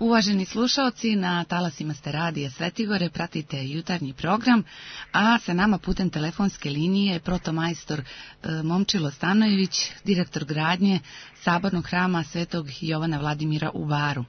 Uvaženi slušaoci, na talasima ste radija Svetigore, pratite jutarnji program, a sa nama putem telefonske linije protomajstor Momčilo Stanojević, direktor gradnje Sabornog hrama Svetog Jovana Vladimira u Baru.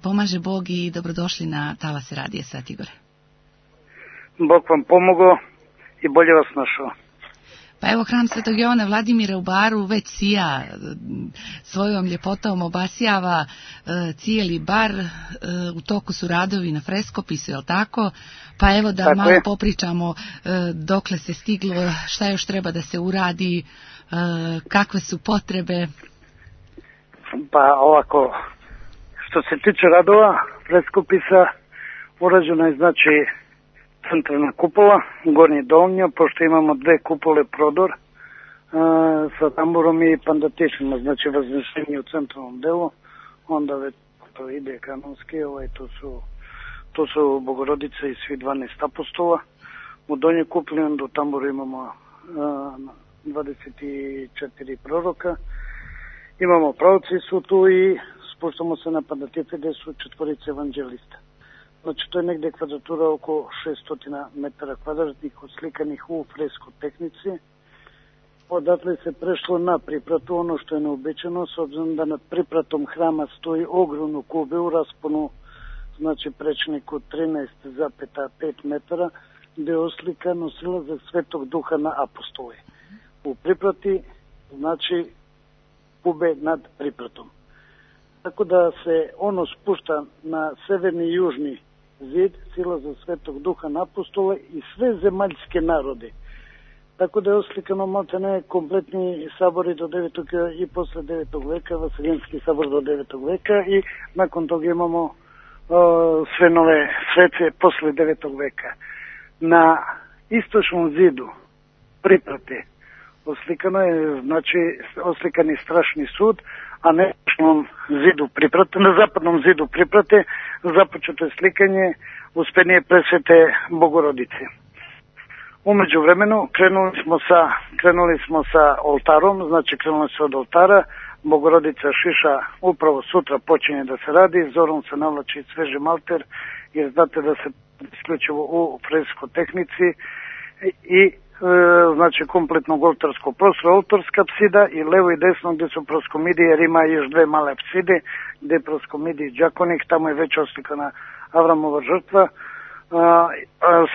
Pomaže Bog i dobrodošli na talase radija Svetigore. Bog vam pomogao i bolje vas našao. Pa evo, hram Svetog Jovana Vladimira u Baru već sija, svojom ljepotom obasjava cijeli bar, u toku su radovi na freskopisu, jel tako? Pa evo da tako malo je. Popričamo dokle se stiglo, šta još treba da se uradi, kakve su potrebe. Pa ovako, što se tiče radova freskopisa, urađeno je znači centralna kupola, gornji donja, pošto imamo dve kupole prodor sa tamburom i pandatišima, znači vaznešenje u centralnom delu, onda već to ide kanonski, to su Bogorodice i svi 12 apostola. U donjoj kupoli onda u tamburu imamo 24 proroka, imamo pravci su tu i spuštamo se na pandatife gde su četvorice evanđelista. Znači to je negde kvadratura oko 600 metara kvadratnih odslikanih u fresko tehnici. Odatle se prešlo na pripratu, ono što je neobičajno, s obzirom da nad pripratom hrama stoji ogromnu kube u rasponu, znači prečniku 13,5 metara, gde je oslikano silazak Svetog Duha na apostole. U priprati, znači kube nad pripratom. Tako da se ono spušta na severni i južni zid, silaza Svetog Duha na apostole i sve zemaljske narode. Tako da je oslikano maltene kompletni sabori do 9. i posle 9. veka, Vaseljenski sabor do 9. veka i nakon toga imamo sve nove svece posle 9. veka. Na istočnom zidu priprate oslikano je, znači oslikani strašni sud, a na istočnom zidu priprate, na zapadnom zidu priprate započeto je slikanje Uspenije presvete Bogorodice. Umeđu vremenu krenuli smo sa oltarom, znači krenuli se od oltara, Bogorodica Šiša upravo sutra počinje da se radi, zorom se navlači sveži malter, jer znate da se isključivo u fresko tehnici i znači kompletnog oltarskog prostora, oltarska apsida i levo i desno gde su proskomidije, jer ima još dve male apside, gde je proskomidij džakonik, tamo je već oslikana Avramova žrtva,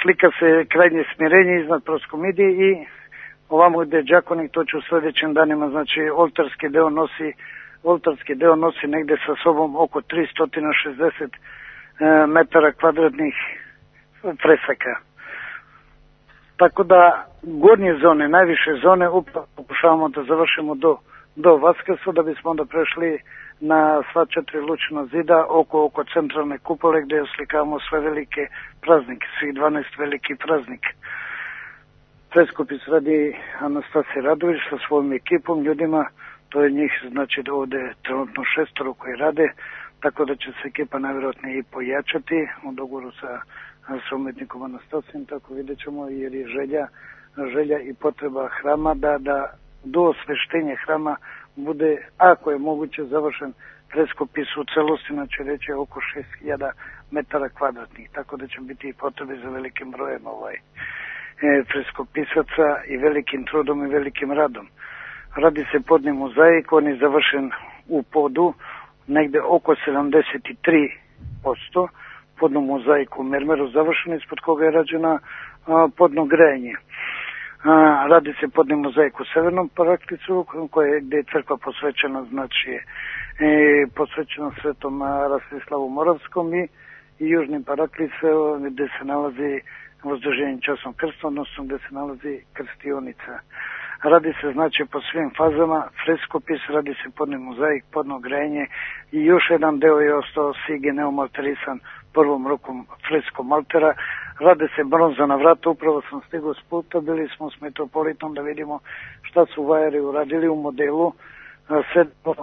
slika se krajnje smirenje iznad proskomidije i ovamo gde je džakonik, to će u sledećim danima, znači oltarski deo nosi negde sa sobom oko 360 metara kvadratnih fresaka. Tako da gornje zone, najviše zone, upravo pokušavamo da završimo do Vaskrsa, da bismo onda prešli na sva 4 lučna zida oko centralne kupole gde oslikavamo sve velike praznike, svih 12 veliki praznika. Freskopis radi Anastasija Radović sa svojom ekipom, ljudima, to je njih, znači ovde trenutno 6 koji rade, tako da će se ekipa najvjerojatnije i pojačati u dogovoru sa umetnikom Anastasijem, tako vidjet ćemo, jer je želja i potreba hrama da do osveštenja hrama bude, ako je moguće, završen freskopis u celosti, znači reći oko 6000 metara kvadratnih, tako da će biti i potrebe za velikim brojem freskopisaca i velikim trudom i velikim radom. Radi se podni mozaik, on je završen u podu, negde oko 73%, podnu mozaiku u mermeru završeno, ispod koga je rađena podno grejanje. Radi se podni mozaik u severnom paraklicu, gde je crkva posvećena, znači posvećena Svetom Rastislavu Moravskom i južnim paraklicom gde se nalazi Vozduženje časnom krstom, odnosno gde se nalazi krstionica. Radi se znači po svim fazama, freskopis, radi se podni mozaik, podno grejanje i još jedan deo je ostao sige neomalterisan prvom rukom freskom altera. Rade se bronzana vrata, upravo sam stigao s puta, bili smo s metropolitom da vidimo šta su vajari uradili u modelu, sedmo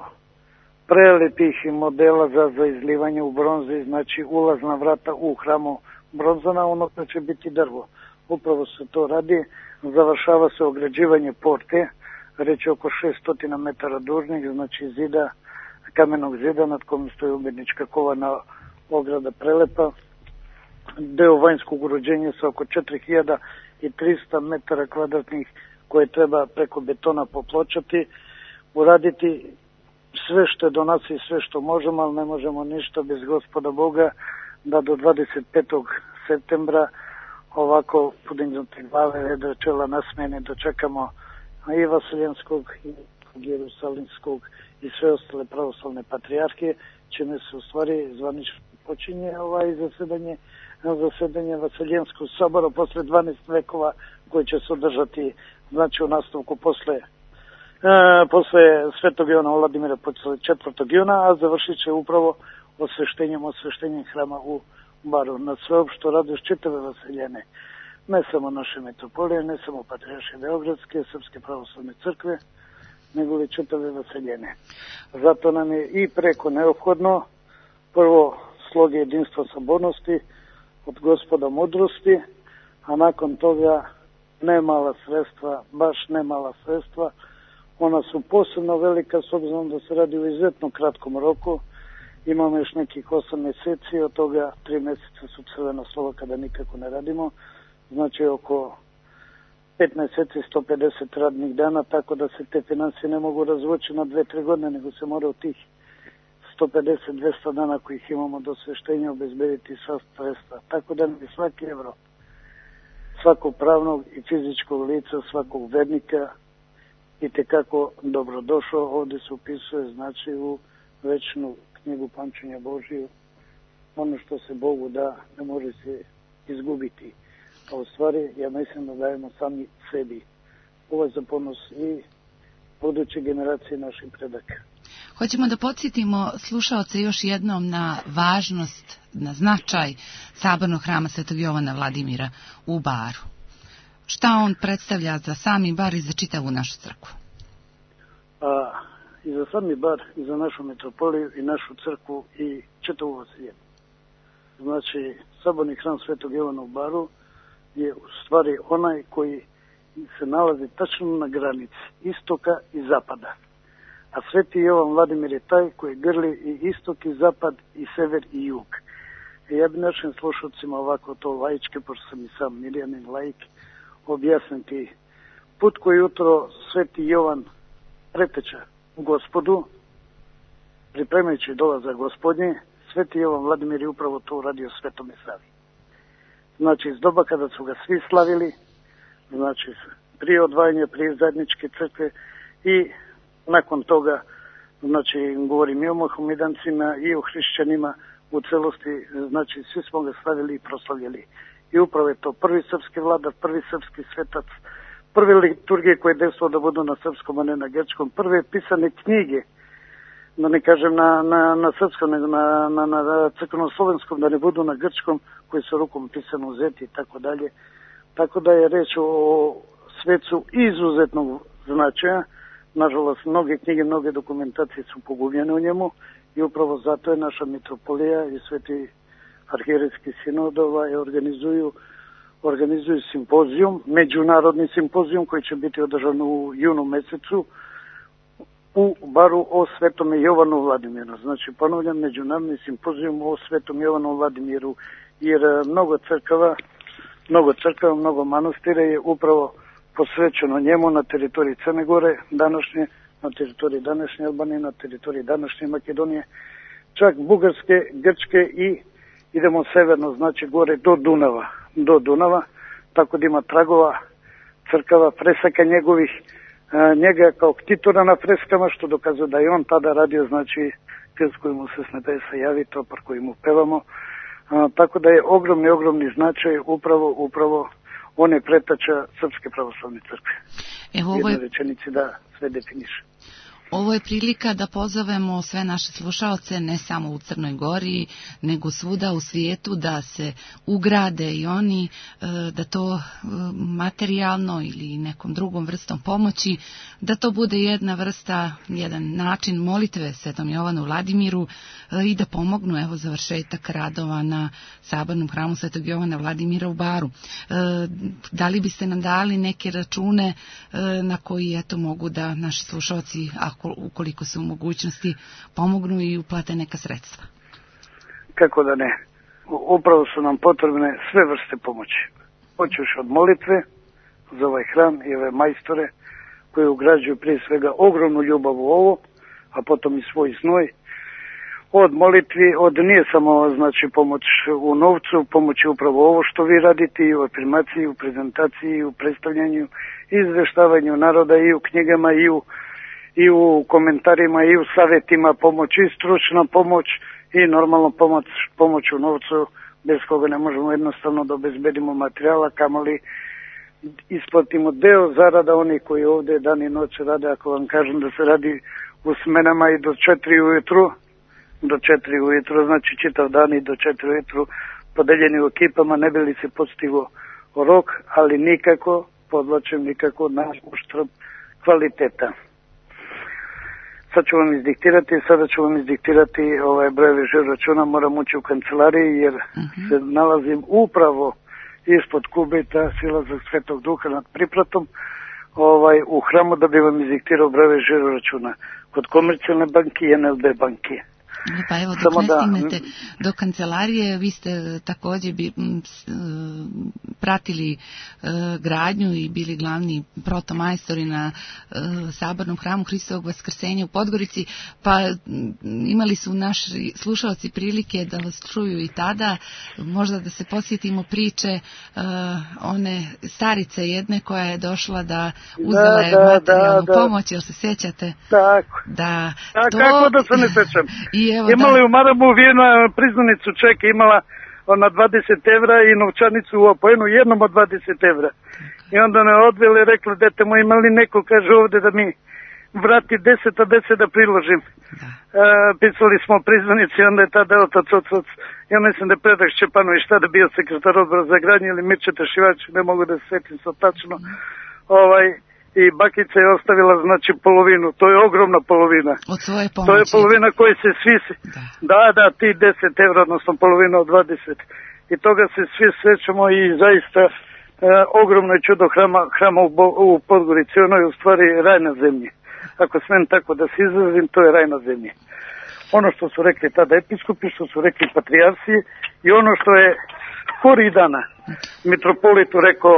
prelepih modela za izlivanje u bronzi, znači ulazna vrata u hramu bronzana, ono da će biti drvo. Upravo se to radi, završava se ograđivanje porte, reći oko 600 metara dužnih, znači zida kamenog zida nad kojim stoji umjetnička kovana ograda prelepa, deo vanjskog uređenja sa oko 4300 metara kvadratnih koje treba preko betona popločati, uraditi sve što je do nas i sve što možemo, ali ne možemo ništa bez Gospoda Boga, da do 25. septembra ovako podignute glave, vedra čela nasmene dočekamo i Vaseljenskog i Jerusalimskog i sve ostale pravoslavne patrijarhije, čime se u stvari zvanično počinje zasedanje Vaseljenskog sabora posle 12 vekova koji će se održati, znači u nastavku posle Svetog Jovana Vladimira, posle 4. juna, a završit će upravo osveštenjem hrama u Baru. Na sveopšto radost čitave Vaseljene, ne samo naše metropolije, ne samo Patrijaršije Beogradske, Srpske pravoslavne crkve, nego li čitave Vaseljene. Zato nam je i preko neophodno prvo sloge jedinstva sabornosti od Gospoda mudrosti, a nakon toga nemala sredstva, baš nemala sredstva. Ona su posebno velika s obzirom da se radi u izuzetno kratkom roku. Imamo još nekih 8 mjeseci, od toga 3 mjeseca su crvena slova kada nikako ne radimo. Znači oko 5 mjeseci 150 radnih dana, tako da se te financije ne mogu razvući na 2-3 godine, nego se mora u tih 150-200 dana kojih imamo do sveštenja obezbediti sva sredstva. Tako da mi svaki evro, svakog pravnog i fizičkog lica, svakog vernika i tekako dobrodošao. Ovdje se upisuje, znači, u večnu knjigu pamćenja Božiju. Ono što se Bogu da ne može se izgubiti. A u stvari, ja mislim da dajemo sami sebi. Ovo je za ponos i buduće generacije naših predaka. Hoćemo da podsjetimo slušaoce još jednom na važnost, na značaj Sabornog hrama Svetog Jovana Vladimira u Baru. Šta on predstavlja za sami Bar i za čitavu našu crkvu? I za sami Bar, i za našu metropoliju, i našu crkvu, i čitavu Vaseljenu. Znači, Saborni hram Svetog Jovana u Baru je u stvari onaj koji se nalazi tačno na granici istoka i zapada. A Sveti Jovan Vladimir je taj koji grli i istok i zapad i sever i jug. Ja bi našim slušalcima ovako to laičke, pošto sam i sam mirjanin laik, objasniti put koji jutro Sveti Jovan preteča Gospodu, pripremajući dolazak Gospodnje. Sveti Jovan Vladimir je upravo to uradio Svetome Savi. Znači, iz doba kada su ga svi slavili, znači prije odvajanja, prije zajedničke crkve i nakon toga, znači govorim i o Mohamedancima i o hrišćanima u celosti, znači svi smo ga slavili i proslavljali. I upravo je to prvi srpski vladar, prvi srpski svetac, prve liturgije koje je desilo da budu na srpskom, a ne na grčkom, prve pisane knjige, da ne kažem na srpskom, nego na crkveno-slovenskom, da ne budu na grčkom, koji su rukom pisano uzeti i tako dalje. Tako da je reč o svecu izuzetnog značaja. Nažalost, mnoge knjige, mnoge dokumentacije su pogubljene u njemu i upravo zato je naša mitropolija i Sveti arhijerejski sinod organizuju simpozijum, međunarodni simpozijum koji će biti održan u junu mesecu u Baru o Svetome Jovanu Vladimiru. Znači, ponavljam, međunarodni simpozijum o Svetom Jovanu Vladimiru, jer mnogo crkava, mnogo manastira je upravo posvećeno njemu na teritoriji Crne Gore današnje, na teritoriji današnje Albanije, na teritoriji današnje Makedonije, čak Bugarske, Grčke i idemo severno, znači gore do Dunava, tako da ima tragova crkava, fresaka njegovih, njega kao ktitora na freskama, što dokazuje da je on tada radio, znači krst koji mu se s nebesa javi, topar koji mu pevamo, tako da je ogromni značaj upravo on je pretača Srpske pravoslavne crkve. Jednoj rečenici da sve definiše. Ovo je prilika da pozovemo sve naše slušaoce, ne samo u Crnoj Gori, nego svuda u svijetu, da se ugrade i oni, da to materijalno ili nekom drugom vrstom pomoći, da to bude jedna vrsta, jedan način molitve Svetom Jovanu Vladimiru i da pomognu završetak radova na Sabornom hramu Svetog Jovana Vladimira u Baru. Da li biste nam dali neke račune na koji mogu da naši slušaoci, ako ukoliko su u mogućnosti, pomognu i uplate neka sredstva. Kako da ne. Upravo su nam potrebne sve vrste pomoći. Počeš od molitve za ovaj hram i ove majstore koji ugrađuju prije svega ogromnu ljubav u ovo, a potom i svoj znoj. Od molitvi, nije samo znači pomoć u novcu, pomoć je upravo ovo što vi radite i u afirmaciji, u prezentaciji, u predstavljanju, izveštavanju naroda i u knjigama i u komentarima i u savjetima pomoć i stručna pomoć i normalno pomoć u novcu bez koga ne možemo jednostavno da obezbedimo materijala, kamoli isplatimo deo zarada oni koji ovdje dan i noć rade. Ako vam kažem da se radi u smenama i do 4 ujutru, znači čitav dan i do 4 ujutru podeljeni u ekipama, ne bi li se postigo rok, ali nikako, podlačem, nikako na uštrb kvaliteta. Sada ću vam izdiktirati brojeve žiro-računa, moram ući u kancelariji jer se nalazim upravo ispod kubita Silazak Svetog Duha nad priplatom u hramu da bi vam izdiktirao brojeve žiro-računa kod Komercijalne banke i NLB banke. Pa evo, dok ne stignete do kancelarije, vi ste također pratili gradnju i bili glavni protomajstori na Sabornom hramu Hristovog Vaskrsenja u Podgorici, pa imali su naši slušalci prilike da vas čuju i tada, možda da se posjetimo priče one starice jedne koja je došla da uzela je materijalnu pomoć, jel se sjećate? Tako. Kako da se ne sjećam? Imala je u Maramu vijena priznanicu čeka, imala na 20 evra i novčanicu u opojenu jednom od 20 evra. I onda ne odvele i rekla, dete moj, imali neko, kaže ovdje da mi vrati 10 a 10 da priložim. Pisali smo priznanici i onda je tada otac, ja mislim da je Predrag Šćepanović tada bio sekretar odbora za gradnju ili Mirče Tešivač, ne mogu da se sjetim sad tačno. I bakica je ostavila znači polovinu, to je ogromna polovina. Od svoje pomoći. To je polovina koji se svi, da, ti 10 evra, odnosno polovina od 20. I toga se svi srećemo i zaista ogromno je čudo hrama u Podgorici, ono je u stvari raj na zemlji. Ako smem tako da se izrazim, to je raj na zemlji. Ono što su rekli tada episkopi, što su rekli patrijarsi i ono što je skori dana mitropolitu rekao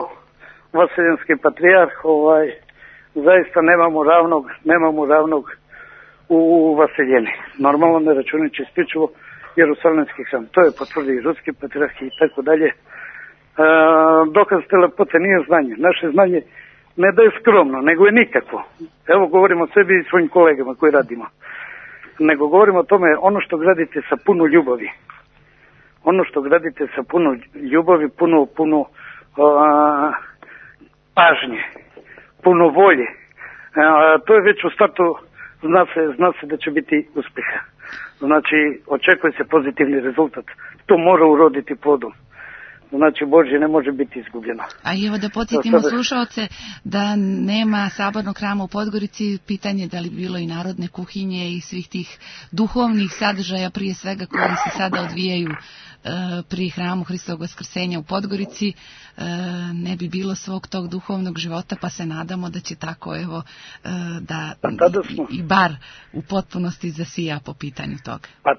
vaseljenski patrijarh, zaista nemamo ravnog u vaseljeni. Normalno ne računajući isključivo Jerusalemski hram. To je potvrdio i ruski patrijarh i tako dalje. Dokaz te lepote nije znanje. Naše znanje ne da je skromno, nego je nikakvo. Evo govorimo o sebi i svojim kolegama koji radimo. Nego govorimo o tome ono što gradite sa puno ljubavi. Ono što gradite sa puno ljubavi, puno pažnje, puno volje. To je već u startu, zna se da će biti uspjeha. Znači, očekuje se pozitivni rezultat. To mora uroditi plodom. Znači, Božje ne može biti izgubljeno. A evo da podsjetimo slušaoce da nema Sabornog hrama u Podgorici, pitanje da li bilo i narodne kuhinje i svih tih duhovnih sadržaja, prije svega koji se sada odvijaju pri hramu Hristovog Vaskrsenja u Podgorici, ne bi bilo svog tog duhovnog života, pa se nadamo da će tako da i bar u potpunosti zasija po pitanju toga. Pa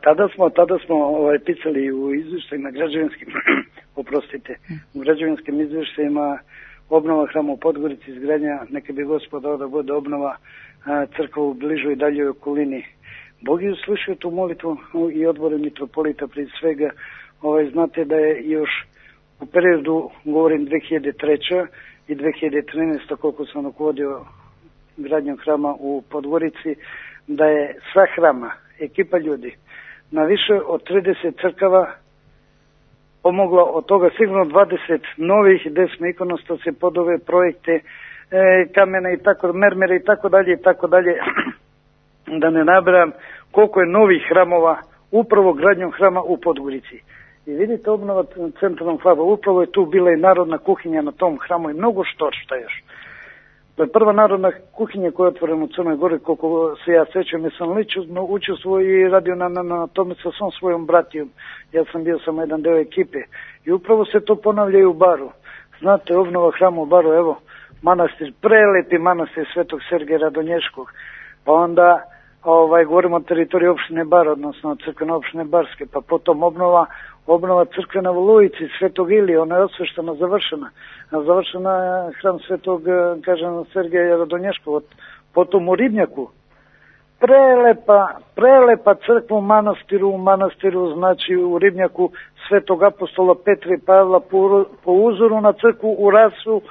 tada smo pisali u izvještajima građevinskim, u građevinskim izvještajima obnova hrama u Podgorici, izgradnja, neka bi Gospod dao da bude obnova crkva u bližoj i daljoj okolini. Bog je uslišio tu molitvu i odbore mitropolita prije svega. Znate da je još u periodu, govorim 2003. i 2013. koliko sam rukovodio gradnjom hrama u Podgorici, da je sva hrama, ekipa ljudi, na više od 30 crkava pomogla, od toga sigurno 20 novih, 10 ikonostasije, podove, projekte, kamene i tako, mermere i tako dalje, da ne nabrajam koliko je novih hramova upravo gradnjom hrama u Podgorici. I vidite, obnova centralnog hvala, upravo je tu bila i narodna kuhinja na tom hramu i mnogo što još. To je prva narodna kuhinja koja je otvorena u Crnoj Gori, koliko se ja sjećam, jer sam učestvovao i radio na tome sa svom svojom bratijom. Ja sam bio samo jedan deo ekipe. I upravo se to ponavlja i u Baru. Znate, obnova hrama u Baru, evo, manastir, prelepi manastir Svetog Sergeja Radonješkog. pa onda govorimo o teritoriji opštine Bar, odnosno crkvene opštine Barske, pa potom obnova crkve na Volujici, Svetog Ilije, ona je osveštena, završena je hram Svetog, kažem, Sergeja Radonješkova, potom u Ribnjaku, prelepa crkva u manastiru, znači u Ribnjaku Svetog apostola Petra i Pavla po uzoru na crkvu u Rasu,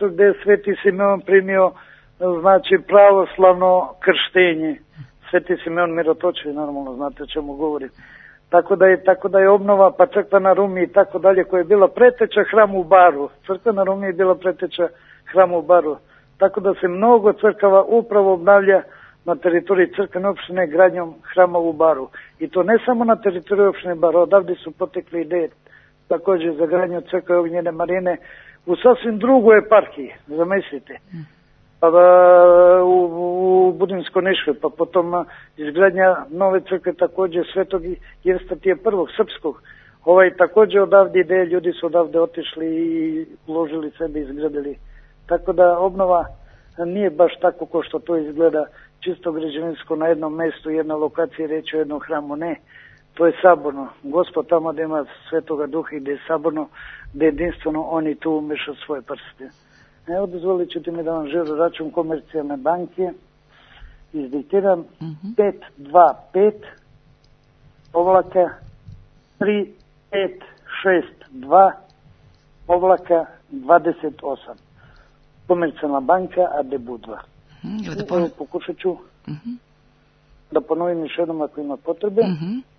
gde je Sveti Simeon primio, znači, pravoslavno krštenje. Sveti Simeon Mirotočić, normalno znate o čemu govorim. Tako da je obnova, pa crkva na Rumi i tako dalje, koja je bila preteča hramu u Baru. Crkva na Rumi je bila preteča hramu u Baru. Tako da se mnogo crkava upravo obnavlja na teritoriji crkvene opštine gradnjom hrama u Baru. I to ne samo na teritoriji opštine Bar, odavde su potekli ideje također za gradnju crkve Ognjene Marine u sasvim drugoj eparhiji, zamislite. U Budinskoj Niškoj, pa potom izgradnja nove crkve također Svetog Jevstatija I. Srpskog. Također odavde ideje, ljudi su odavde otišli i uložili sebe i izgradili. Tako da obnova nije baš tako kao što to izgleda čisto građevinsko na jednom mjestu, jedna lokacija, reći o jednom hramu, ne. To je saborno. Gospod tamo gdje ima Svetoga Duha i gdje je saborno, gdje je jedinstveno, oni tu umeša svoje prste. Evo, dozvolit ćete mi da vam žiro račun Komercijalne banke. Izdiktiram 525 povlaka 3562 povlaka 28. Komercijalna banka AD Budva. Evo, pokušat ću da ponovim još jednom ako ima potrebe.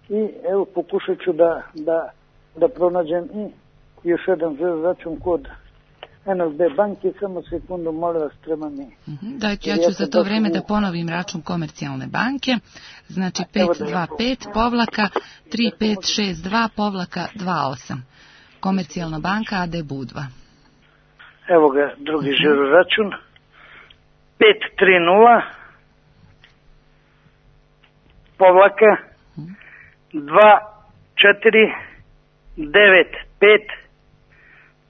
I evo, pokušat ću da pronađem i još jedan žiro račun kod NLB banke, samo sekundu, molim vas, treba mi. Ja ću za to vreme da ponovim račun Komercijalne banke, znači 525 povlaka 3562 povlaka 28. Komercijalna banka AD Budva. Evo ga, drugi žiro račun 530 povlaka 2495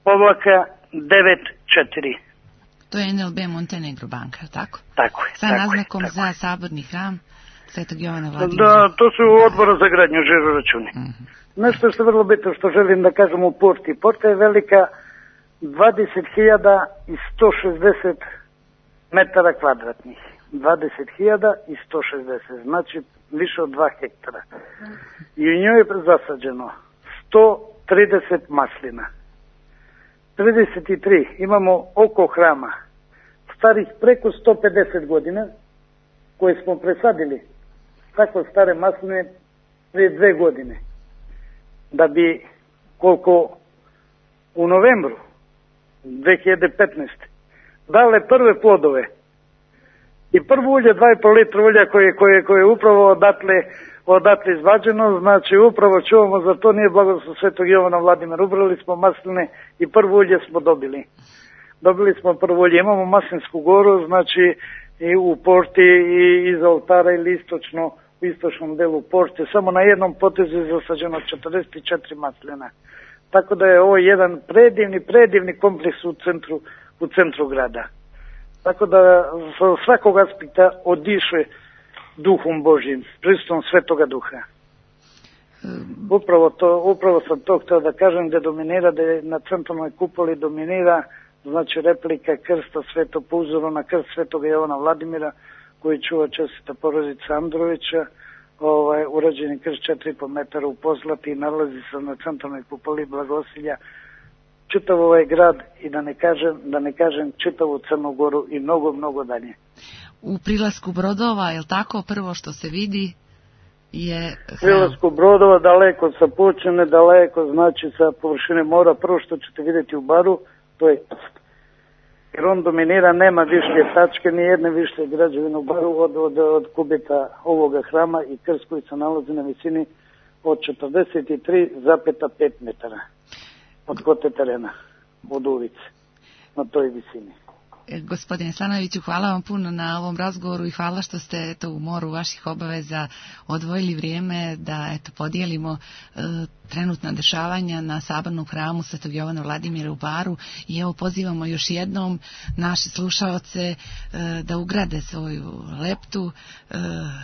povlaka 94. To je NLB Montenegro banka, tako? Tako je. Sa naznakom za saborni hram Svetog Jovana Vladimira. Da, to su odbora za gradnju žiro računi. Nešto što je vrlo bitno što želim da kažem u Porti. Porta je velika 20.160 metara kvadratnih. 20.160, znači više od 2 hektara. I u njoj je zasađeno 130 maslina. 33 imamo oko hrama starih preko 150 godina koje smo presadili tako stare masline prije 2 godine da bi koliko u novembru 2015 dale prve plodove i prvo ulje 2,5 litra ulja koje je upravo odatle izvađeno, znači upravo čuvamo, za to nije blagoslov Svetog Jovana Vladimira. Ubrali smo masline i prvo ulje smo dobili. Dobili smo prvo ulje, imamo Maslinsku goru, znači i u Porti i iz oltara ili u istočnom delu Porte, samo na jednom potezu je zasađeno 44 maslina. Tako da je ovo jedan predivni kompleks u centru grada. Tako da sa svakog aspekta odiše Duhom Božjim, prisustvom Svetoga Duha. Upravo sam to htio da kažem, da dominira, da je na centralnoj kupoli dominira, znači replika krsta Sveto po uzoru na krst Svetoga Jovana Vladimira, koji čuva čestita porodica Androvića, urađeni krst 4,5 metara u Pozlati i nalazi se na centralnoj kupoli Blagosilja, čitav ovaj grad i da ne kažem čitavu Crnu Goru i mnogo dalje. U prilasku brodova, je li tako, prvo što se vidi je prilasku brodova, daleko sa Pučine, daleko znači sa površine mora, prvo što ćete vidjeti u Baru, to je krst. Jer on dominira, nema više tačke, ni jedne više građevine u Baru od kubita ovoga hrama i krst koji se nalazi na visini od 43,5 metara od kote terena, od ulice, na toj visini. Gospodine Stanojeviću, hvala vam puno na ovom razgovoru i hvala što ste u moru vaših obaveza odvojili vrijeme da podijelimo trenutna dešavanja na sabornom hramu Svetog Jovana Vladimira u Baru i evo pozivamo još jednom naše slušaoce da ugrade svoju leptu,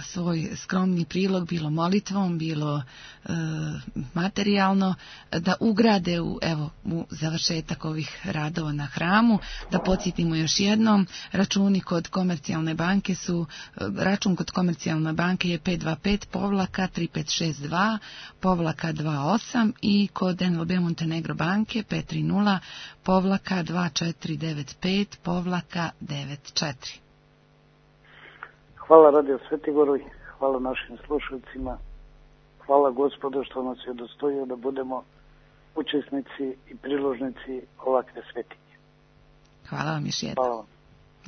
svoj skromni prilog, bilo molitvom, bilo materijalno, da ugrade u završetak ovih radova na hramu. Da podsjetimo još jednom, račun kod Komercijalne banke je 525-3562-28 i kod NLB Montenegro banke 530-2495-94. Hvala Radio Svetigoru, hvala našim slušalcima, hvala Gospodu što nas je udostojio da budemo učesnici i priložnici ovakve svetinje. Hvala vam još jednom. Hvala vam.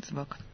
Zbog.